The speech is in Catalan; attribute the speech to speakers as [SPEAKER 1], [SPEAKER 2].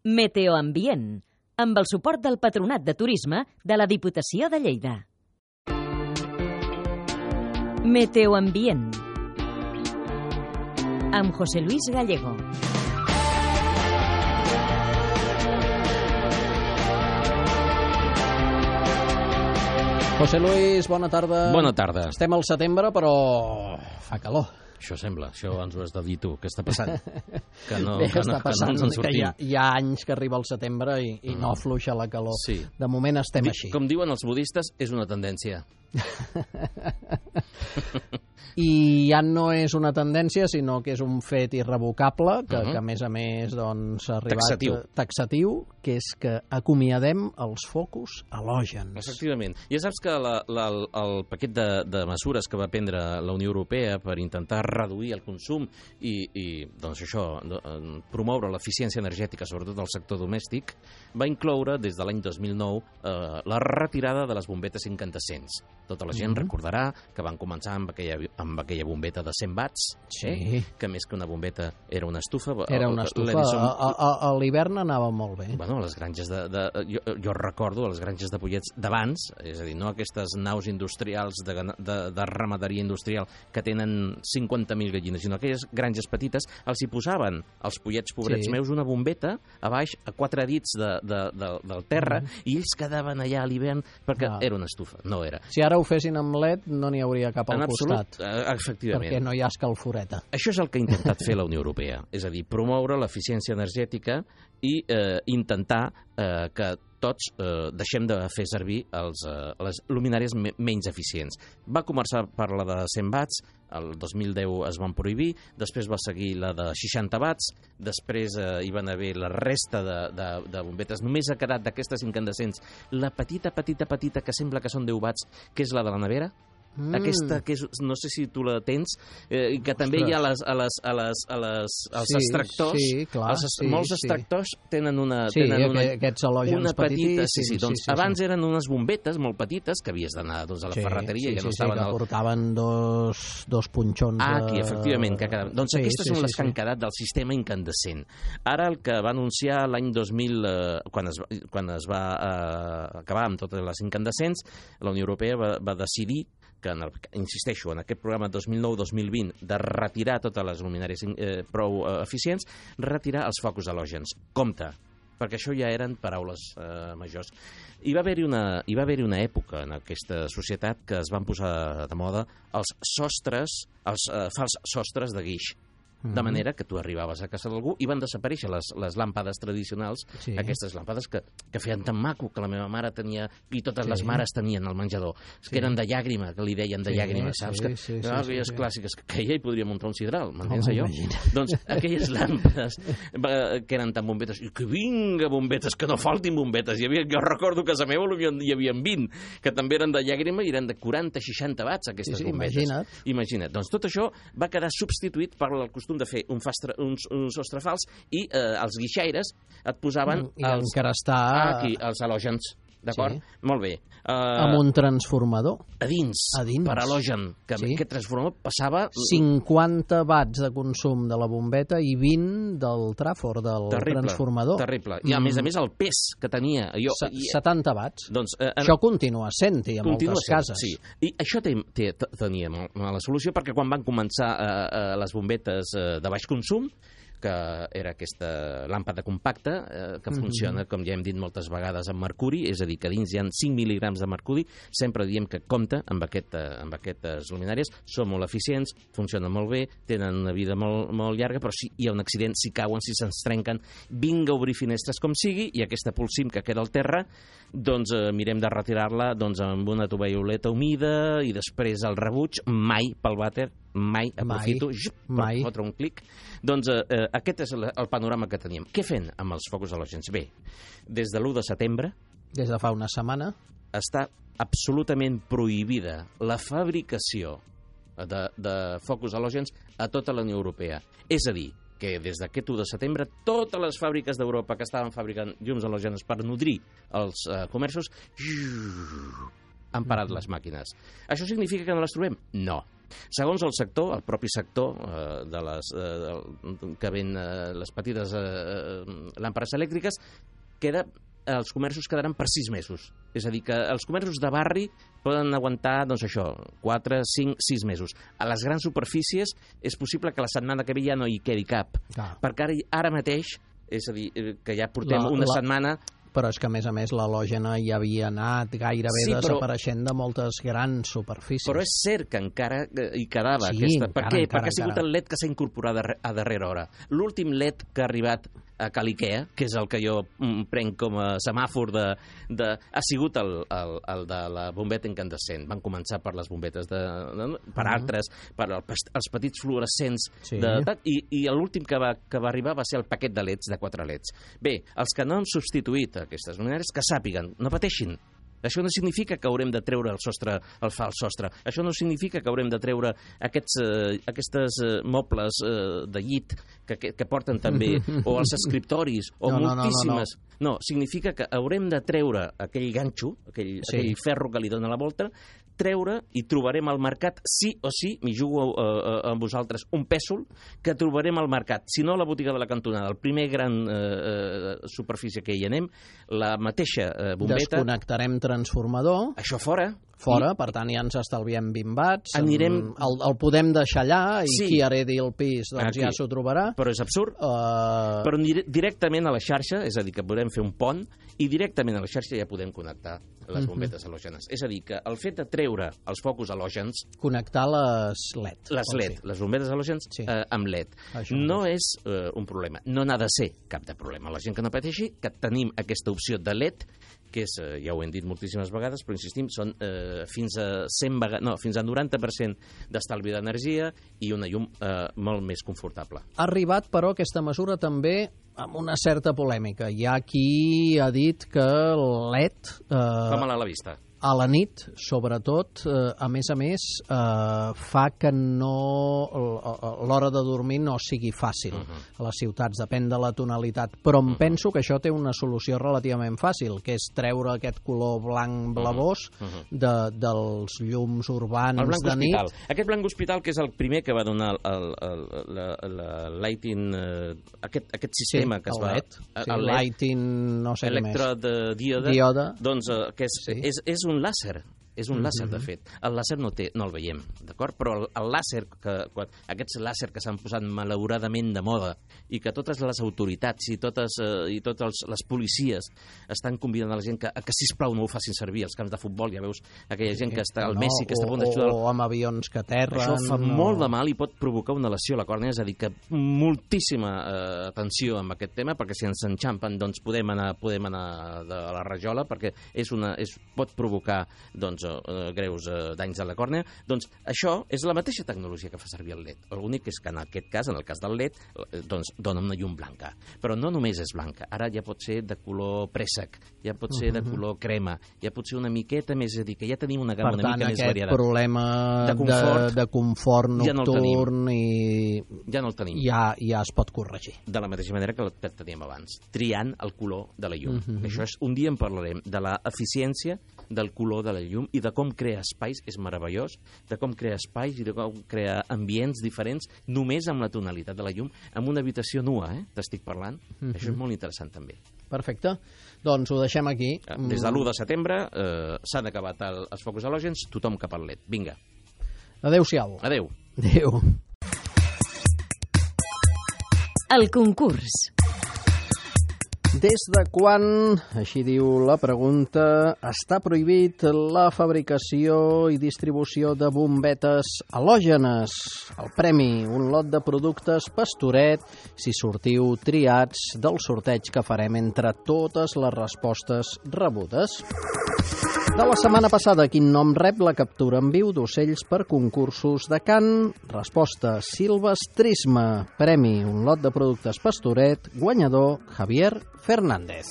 [SPEAKER 1] Meteoambient, amb el suport del Patronat de Turisme de la Diputació de Lleida. Meteoambient, amb José Luis Gallego.
[SPEAKER 2] José Luis, bona tarda.
[SPEAKER 3] Bona tarda.
[SPEAKER 2] Estem al setembre, però fa calor.
[SPEAKER 3] Això sembla, això ens ho has de dir tu. Què està passant? Que no,
[SPEAKER 2] Bé,
[SPEAKER 3] que
[SPEAKER 2] està
[SPEAKER 3] no
[SPEAKER 2] passant
[SPEAKER 3] ens en sortim.
[SPEAKER 2] que hi ha anys que arriba el setembre i no afluixa la calor.
[SPEAKER 3] Sí.
[SPEAKER 2] De moment estem així.
[SPEAKER 3] Com diuen els budistes, és una tendència.
[SPEAKER 2] I ja no és una tendència, sinó que és un fet irrevocable, que a més a més doncs, ha arribat taxatiu, que és que acomiadem els focus halògens.
[SPEAKER 3] Efectivament. Ja saps que el paquet de mesures que va prendre la Unió Europea per intentar reduir el consum i doncs això, promoure l'eficiència energètica, sobretot del sector domèstic, va incloure des de l'any 2009 la retirada de les bombetes incandescents. Tota la gent recordarà que van començar amb aquella bombeta de 100 watts, que més que una bombeta era una estufa.
[SPEAKER 2] Era una estufa. A l'hivern anava molt bé.
[SPEAKER 3] Bueno, les granges jo recordo les granges de pollets d'abans, és a dir, no aquestes naus industrials de ramaderia industrial que tenen 50.000 gallines, sinó aquelles granges petites, els hi posaven als pollets pobrets meus una bombeta a baix, a 4 dits del terra, i ells quedaven allà a l'hivern perquè era una estufa. No era.
[SPEAKER 2] Si ara ho fessin amb LED, no n'hi hauria cap al costat.
[SPEAKER 3] Efectivament.
[SPEAKER 2] Perquè no hi ha escalforeta.
[SPEAKER 3] Això és el que ha intentat fer la Unió Europea, és a dir, promoure l'eficiència energètica i intentar que tots deixem de fer servir les luminàries menys eficients. Va començar per la de 100 watts, el 2010 es van prohibir, després va seguir la de 60 watts, després hi van haver la resta de bombetes. Només ha quedat d'aquestes incandescents la petita que sembla que són 10 watts, que és la de la nevera. Aquesta, que no sé si tu la tens, i que també hi ha als extractors.
[SPEAKER 2] Sí, clar.
[SPEAKER 3] Molts extractors tenen una
[SPEAKER 2] aquests halògens
[SPEAKER 3] petits. Doncs abans eren unes bombetes molt petites que havies d'anar a la ferreteria i que no estaven...
[SPEAKER 2] que portaven dos punxons
[SPEAKER 3] aquí, efectivament, que quedaven. Doncs aquestes són les que han quedat del sistema incandescent. Ara el que va anunciar l'any 2000, quan es va acabar amb totes les incandescents, la Unió Europea va decidir que, insisteixo, en aquest programa 2009-2020 de retirar totes les luminàries prou eficients, retirar els focus halògens. Compte, perquè això ja eren paraules majors. Hi va haver-hi una època en aquesta societat que es van posar de moda els fals sostres de guix. De manera que tu arribaves a casa d'algú i van desaparèixer les làmpades tradicionals, aquestes làmpades que feien tan maco, que la meva mare tenia, i totes les mares tenien al menjador, que eren de llàgrima, que li deien de llàgrima, saps? Aquelles clàssiques, que ella hi podria muntar un sidral, m'entens allò? Doncs aquelles làmpades que eren tan bombetes, i que vinga bombetes, que no faltin bombetes, jo recordo que a casa meva hi havia 20, que també eren de llàgrima i eren de 40-60 watts, aquestes bombetes. Imagina't. Doncs tot això va quedar substituït per el costum de fer un sostre fals i els guixaires et posaven els halògens. D'acord? Molt bé.
[SPEAKER 2] Amb un transformador.
[SPEAKER 3] A dins. Per halògen. Que aquest transformador passava...
[SPEAKER 2] 50 watts de consum de la bombeta i 20 del tràfor, del transformador.
[SPEAKER 3] Terrible. I a més el pes que tenia...
[SPEAKER 2] 70 watts. Això continua sent-hi a moltes cases.
[SPEAKER 3] Sí. I això tenia mala solució, perquè quan van començar les bombetes de baix consum, que era aquesta làmpada compacta que funciona, com ja hem dit moltes vegades, amb mercuri, és a dir, que dins hi ha 5 mil·ligrams de mercuri. Sempre diem que compta amb aquestes luminàries, són molt eficients, funcionen molt bé, tenen una vida molt, molt llarga, però si hi ha un accident, si cauen, si se'ns trenquen, vinga a obrir finestres com sigui, i aquesta polsim que queda al terra, doncs mirem de retirar-la amb una tovalloleta humida i després el rebuig, mai pel vàter, mai aprofito per fotre un clic. Doncs aquest és el panorama que teníem. Què fem amb els focus halògens? Bé, des de l'1 de setembre...
[SPEAKER 2] Des de fa una setmana...
[SPEAKER 3] Està absolutament prohibida la fabricació de focus halògens a tota la Unió Europea. És a dir, que des d'aquest 1 de setembre totes les fàbriques d'Europa que estaven fabricant llums halògenes per nodrir els comerços han parat les màquines. Això significa que no les trobem? No. Segons el sector, el propi sector que ven les petites làmpades elèctriques, els comerços quedaran per 6 mesos. És a dir, que els comerços de barri poden aguantar, doncs això, 4, 5, 6 mesos. A les grans superfícies és possible que la setmana que ve ja no hi quedi cap. Perquè ara mateix, és a dir, que ja portem una setmana...
[SPEAKER 2] Però és que, a més, l'halògena ja havia anat gairebé desapareixent de moltes grans superfícies.
[SPEAKER 3] Però és cert que encara hi quedava aquesta... Per què? Perquè ha sigut el LED que s'ha incorporat a darrera hora. L'últim LED que ha arribat a Cal Ikea, que és el que jo prenc com a semàfor ha sigut el de la bombeta incandescent. Van començar per les bombetes per altres, per els petits fluorescents, i l'últim que va arribar va ser el paquet de leds, de 4 leds. Bé, els que no han substituït aquestes luminàries, que sàpiguen, no pateixin. Això no significa que haurem de treure el fals sostre. Això no significa que haurem de treure aquestes mobles de llit que porten també, o els escriptoris, o moltíssimes... No, significa que haurem de treure aquell ganxo, aquell ferro que li dona la volta, treure i trobarem al mercat, sí o sí, m'hi jugo amb vosaltres, un pèsol que trobarem al mercat. Si no, a la botiga de la cantonada, el primer gran superfície que hi anem, la mateixa bombeta...
[SPEAKER 2] Desconnectarem transformador.
[SPEAKER 3] Això fora.
[SPEAKER 2] Per tant ja ens estalviem 20 watts, el podem deixar allà i qui heredi el pis ja s'ho trobarà.
[SPEAKER 3] Però és absurd. Però directament a la xarxa, és a dir, que podem fer un pont, i directament a la xarxa ja podem connectar les bombetes halògenes. És a dir, que el fet de treure els focus halògens...
[SPEAKER 2] Connectar les LED.
[SPEAKER 3] Les bombetes halògens amb LED. No és un problema. No n'ha de ser cap de problema. La gent que no pateixi, que tenim aquesta opció de LED, que és, ja ho hem dit moltíssimes vegades, però insistim, són fins a 90% d'estalvi d'energia i una llum molt més confortable.
[SPEAKER 2] Ha arribat, però, aquesta mesura també amb una certa polèmica. Hi ha qui ha dit que el LED...
[SPEAKER 3] Fa mal a la vista.
[SPEAKER 2] A la nit, sobretot, a més, fa que l'hora de dormir no sigui fàcil a les ciutats, depèn de la tonalitat. Però em penso que això té una solució relativament fàcil, que és treure aquest color blanc blavós dels llums urbans de nit.
[SPEAKER 3] Aquest blanc hospital, que és el primer que va donar lighting, aquest sistema que es va...
[SPEAKER 2] El lighting, no sé què més.
[SPEAKER 3] Electrodiode. Doncs és un làser. És un làser, de fet. El làser no el veiem, d'acord? Però el làser, aquests làser que s'han posat malauradament de moda i que totes les autoritats i totes les policies estan convidant a la gent que sisplau no ho facin servir als camps de futbol. Ja veus aquella gent que està al Messi, que està a punt d'ajudar...
[SPEAKER 2] O amb avions que aterren...
[SPEAKER 3] Això fa molt de mal i pot provocar una lesió a la còrnea, és a dir, que moltíssima atenció amb aquest tema, perquè si ens enxampen, doncs podem anar de la rajola, perquè pot provocar, greus danys a la còrnea. Doncs això és la mateixa tecnologia que fa servir el LED. L'únic és que en aquest cas, en el cas del LED, doncs dona una llum blanca. Però no només és blanca. Ara ja pot ser de color préssec, ja pot ser de color crema, ja pot ser una miqueta més, és a dir, que ja tenim una gamma una mica més variada.
[SPEAKER 2] Per tant, aquest problema de confort nocturn
[SPEAKER 3] ja no el tenim.
[SPEAKER 2] Ja es pot corregir.
[SPEAKER 3] De la mateixa manera que el teníem abans, triant el color de la llum. Això és, un dia en parlarem, de l'eficiència del color de la llum i de com crear espais, és meravellós, de com crear espais i de com crear ambients diferents només amb la tonalitat de la llum, amb una habitació nua, t'estic parlant. Això és molt interessant també.
[SPEAKER 2] Perfecte. Doncs ho deixem aquí.
[SPEAKER 3] Des de l'1 de setembre s'han acabat els focus halògens, tothom cap al LED. Vinga.
[SPEAKER 2] Adéu-siau.
[SPEAKER 3] Adéu.
[SPEAKER 2] Adéu.
[SPEAKER 1] El concurs.
[SPEAKER 2] Des de quan, així diu la pregunta, està prohibit la fabricació i distribució de bombetes halògenes? El premi, un lot de productes Pastoret, si sortiu triats del sorteig que farem entre totes les respostes rebudes. De la setmana passada, quin nom rep la captura en viu d'ocells per concursos de cant? Resposta, silvestrisme. Premi, un lot de productes Pastoret. Guanyador, Javier Fernández.